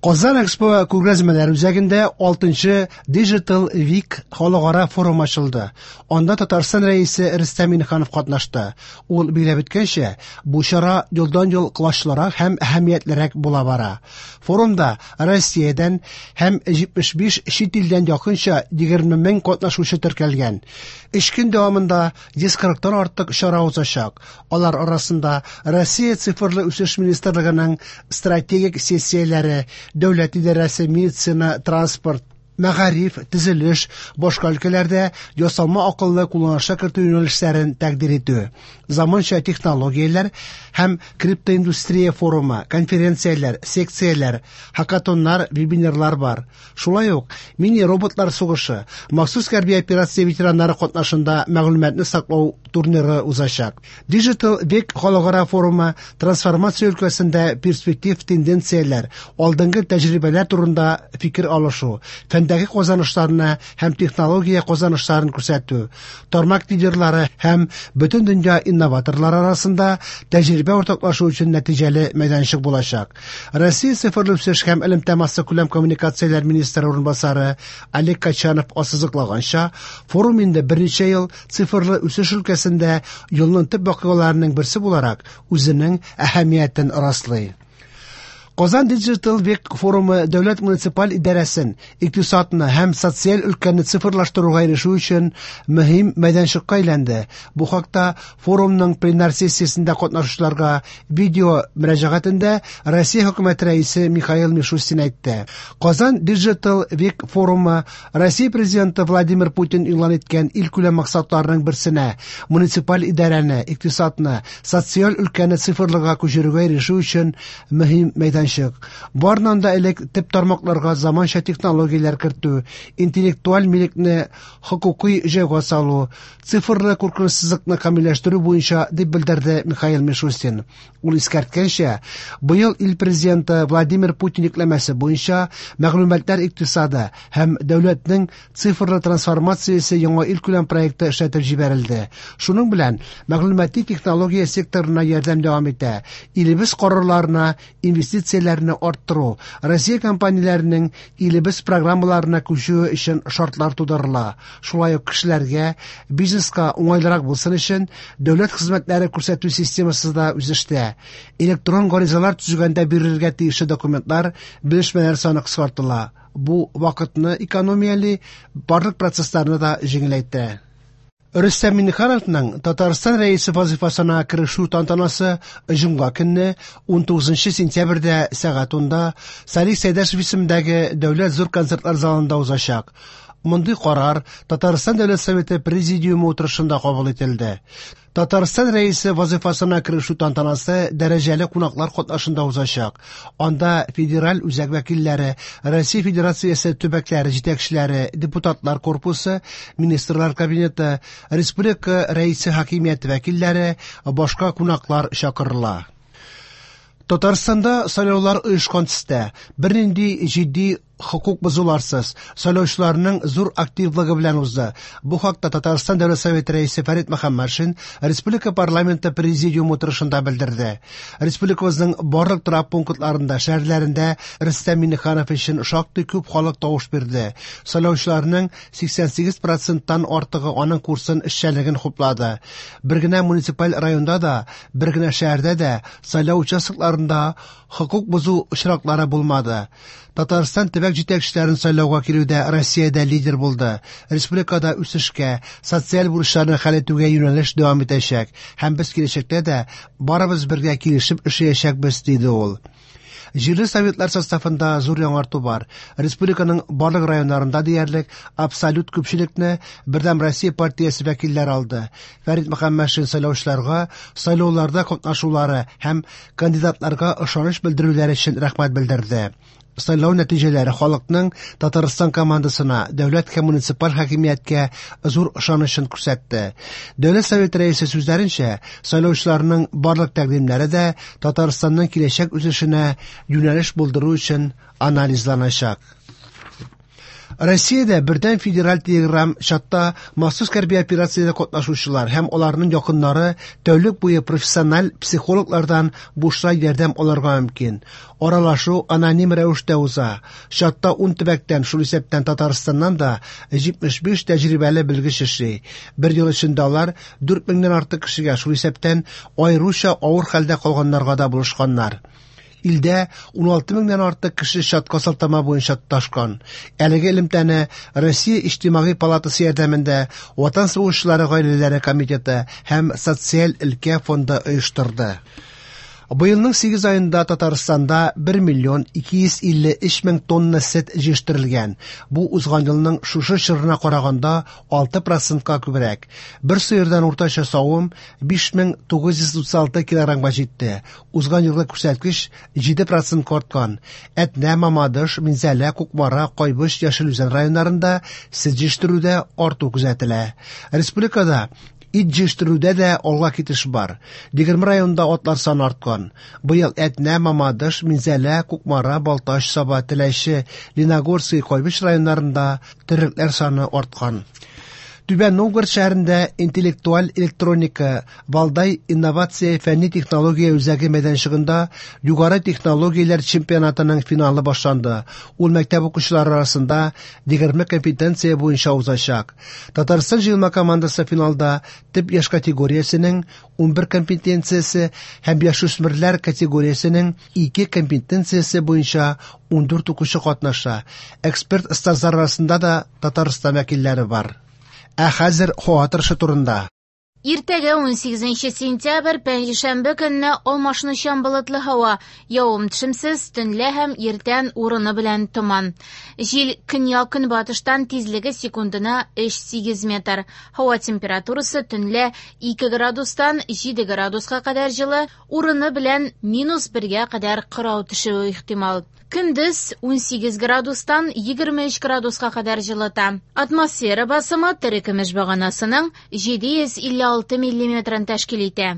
Казан Экспо күргәзмәләр үзәгендә 6нчы Digital Week халыкара форум ачылды. Анда Татарстан Рәисе Рөстәм Миңнеханов катнашты. Ул билгеләп үткәнчә, бу чара елдан-ел колачлырак һәм әһәмиятлерәк була бара. Форумда Россиядән һәм 75 чит илдән якынча 20 мең катнашучы теркәлгән. Өч көн дәвамында 140тан артык чара узачак. Алар арасында Россия цифрлы үсеш министрлыгының стратегик сессияләре, дәүләт идарәсе, медицина, транспорт, мәгариф, төзелеш, башка өлкәләрдә ясалма акылны кулланышка кертү юнәлешләрен тәкъдир итү, заманча технологияләр һәм криптоиндустрия форумы, конференцияләр, секцияләр, хакатоннар, вебинарлар бар. Шулай ук мини-роботлар сугышы, махсус хәрби операция ветераннары катнашында мәгълүматны саклау турниры узачак. Digital Week халыкара форумы трансформация өлкәсендә перспектив тенденцияләр, алдынгы тәҗрибәләр турында фикер алышу, фәндәге казанышларны һәм технология казанышларын күрсәтү, тармак лидерлары һәм бөтен дөнья инноваторлары арасында тәҗрибә уртаклашу өчен нәтиҗәле мәйданчык булачак. Россия цифрлы үсеш һәм элемтә массакүләм коммуникацияләр министры урынбасары Олег Качанов ассызыклаганча, форум инде берничә ел цифрлы үсеш өлкәсендә елның төп вакыйгаларының берсе буларак үзенең әһәмиятен раслый. Казан Digital Week форумы дәүләт муниципаль идарәсен, икътисадны һәм социаль өлкәне цифрлаштыруга ирешү өчен мөһим мәйданчыкка әйләнде. Бу хакта форумның пленар сессиясендә катнашучыларга видео мөрәҗәгатендә Россия хөкүмәте рәисе Михаил Мишустин әйтте. Казан Digital Week форумы Россия президенты Владимир Путин игълан иткән илкүләм максатларының берсенә муниципаль идарәне, икътисадны, социаль өлкәне цифрлыга күчерүгә ирешү өчен мөһим мәйданчык. Барыннан да элек төп тармакларга заманча технологияләр кертү, интеллектуаль милекне хокукый җайга салу, цифрлы куркынычсызлыкны камилләштерү буенча, дип белдерде Михаил Мишустин. Ул искәрткәнчә, быел ил президенты Владимир Путин йөкләмәсе буенча мәгълүматлар икътисады һәм дәүләтнең цифрлы трансформациясе яңа илкүләм проекты эшләтеп җибәрелде. Шуның белән мәгълүмати технология секторына ярдәм дәвам итә. Илебез карарларына инвестицияләрне арттыру, Россия компанияләренең илебез программаларына күчүе өчен шартлар тудырыла. Шулай ук кешеләргә, бизнеска уңайлырак булсын өчен дәүләт хезмәтләре күрсәтү системасы да үсештә. Электрон гаризалар төзегәндә бирелергә тиешле документлар, белешмәләр саны кыскартыла. Бу вакытны экономияли, барлык процессларны да җиңеләйтә. Рөстәм Миңнехановның Татарстан Рәисе вазифасына керешү тантанасы җомга көнне 19 сентябрьдә сәгать 10-да Салих Сәйдәшев исемендәге Дәүләт зур концертлар залында узачак. Мондый карар Татарстан Дәүләт Советы Президиумы утырышында кабул ителде. Татарстан Рәисе вазифасына керешү тантанасы дәрәҗәле кунаклар катнашында узачак. Анда федераль үзәк вәкилләре, Россия Федерациясе төбәкләре җитәкчеләре, депутатлар корпусы, министрлар кабинеты, республика Рәисе хакимияте вәкилләре, башка кунаклар чакырыла. Татарстанда сайлаулар оешкан төстә, бернинди җитди хокук бозуларсыз, сайлаучыларның зур активлыгы белән узды. Бу хакта Татарстан Дәүләт Советы рәисе Фәрит Мөхәммәтшин республика парламенты президиумы утырышында белдерде. Республикабызның барлык торак пунктларында, шәһәрләрендә Рөстәм Миңнеханов өчен шактый күп халык тавыш бирде. Сайлаучыларның 88%тан артыгы аның курсын эшчәнлеген хуплады. Бер генә муниципаль районда да, бер генә шәһәрдә дә сайлау участокларында хокук бозу очраклары булмады. Татарстан төбәк җитәкчеләрен сайлауга килүдә Россиядә лидер булды. Республикада үсешкә, социаль бурычларны хәл итүгә юнәлеш дәвам итәчәк һәм без киләчәктә дә барыбыз бергә килешеп эшләячәкбез, диде ул. Җирле советлар составында зур яңарту бар. Республиканың барлык районнарында диярлек абсолют күпчелекне Бердәм Россия партиясе вәкилләре алды. Фәрит Мөхәммәтшин сайлаучыларга сайлауларда катнашулары һәм кандидатларга ышаныч белдерүләре өчен рәхмәт белдерде. Сайлау нәтиҗәләре халыкның Татарстан командасына, дәүләт һәм муниципаль хакимияткә зур ышанычын күрсәтте. Дәүләт Советы рәисе сүзләренчә, сайлаучыларның барлык тәкъдимнәре дә Татарстанның киләчәк үсешенә юнәлеш булдыру өчен анализланачак. Россиядә бердәм федераль телеграм-чатта махсус хәрби операциядә катнашучылар һәм аларның якыннары тәүлек буе профессиональ психологлардан бушлай ярдәм алырга мөмкин. Аралашу аноним рәвештә уза. Чатта 10 төбәктән, шул исәптән Татарстаннан да 75 тәҗрибәле белгеч эшли. Бер ел эчендә алар 4 меңнән артык кешегә, шул исәптән аеруча авыр хәлдә калганнарга да булышканнар. Илдә 16 меңнән артык кеше чатка сылтама буенча тоташкан. Әлеге элемтәне Россия Иҗтимагый палатасы ярдәмендә Ватан сугышчылары гаиләләре комитеты һәм Социаль өлкә фонды оештырды. Быелның 8 аенда Татарстанда 1 миллион 253 мең тонна сөт җитештерелгән. Бу узган елның шушы чорына караганда 6 процентка күбрәк. Бер сыердан уртача савым 5936 килограммга җитте. Узган елгы күрсәткеч 7 процентка арткан. Әтнә, Мамадыш, Минзәлә, Кукмара, Кайбыч, Яшел Үзән районнарында сөт җитештерүдә арту күзәтелә. Республикада ит җитештерүдә дә алга китеш бар. 20 районда атлар саны арткан. Быел Әтнә, Мамадыш, Минзәлә, Кукмара, Балтач, Саба, Теләче, Леногорский, Кайбыч районнарында терлекләр саны арткан. Түбән Новгород шәһәрендә интеллектуаль электроника Валдай инновация фәнни технология үзәге мәйданчыгында югары технологияләр чемпионатының финалы башланды. Ул мәктәп укучылары арасында 20 компетенция буенча узачак. Татарстан җыелма командасы финалда төп яшь категориясенең 11 компетенциясе һәм яшүсмерләр категориясенең 2 компетенциясе буенча 14 укучы катнаша. Эксперт остазлар арасында да Татарстан вәкилләре бар. Ә хәзер һава торышы турында. Иртәгә 18 сентябрь пәнҗешәмбе көнне алмашынучан болытлы һава, явым-төшемсез, төнлә һәм иртән урыны белән томан. Җил көньяк-көнбатыштан тизлеге секундына 3-8 метр. Һава температурасы төнлә 2 градустан 7 градуска кадәр җылы, урыны белән минус 1-гә кадәр кырау төшүе ихтимал. Көндез 18 градустан 23 градуска кадәр җылыта. Атмосфера басымы терекөмеш баганасының 756 миллиметрын тәшкил итә.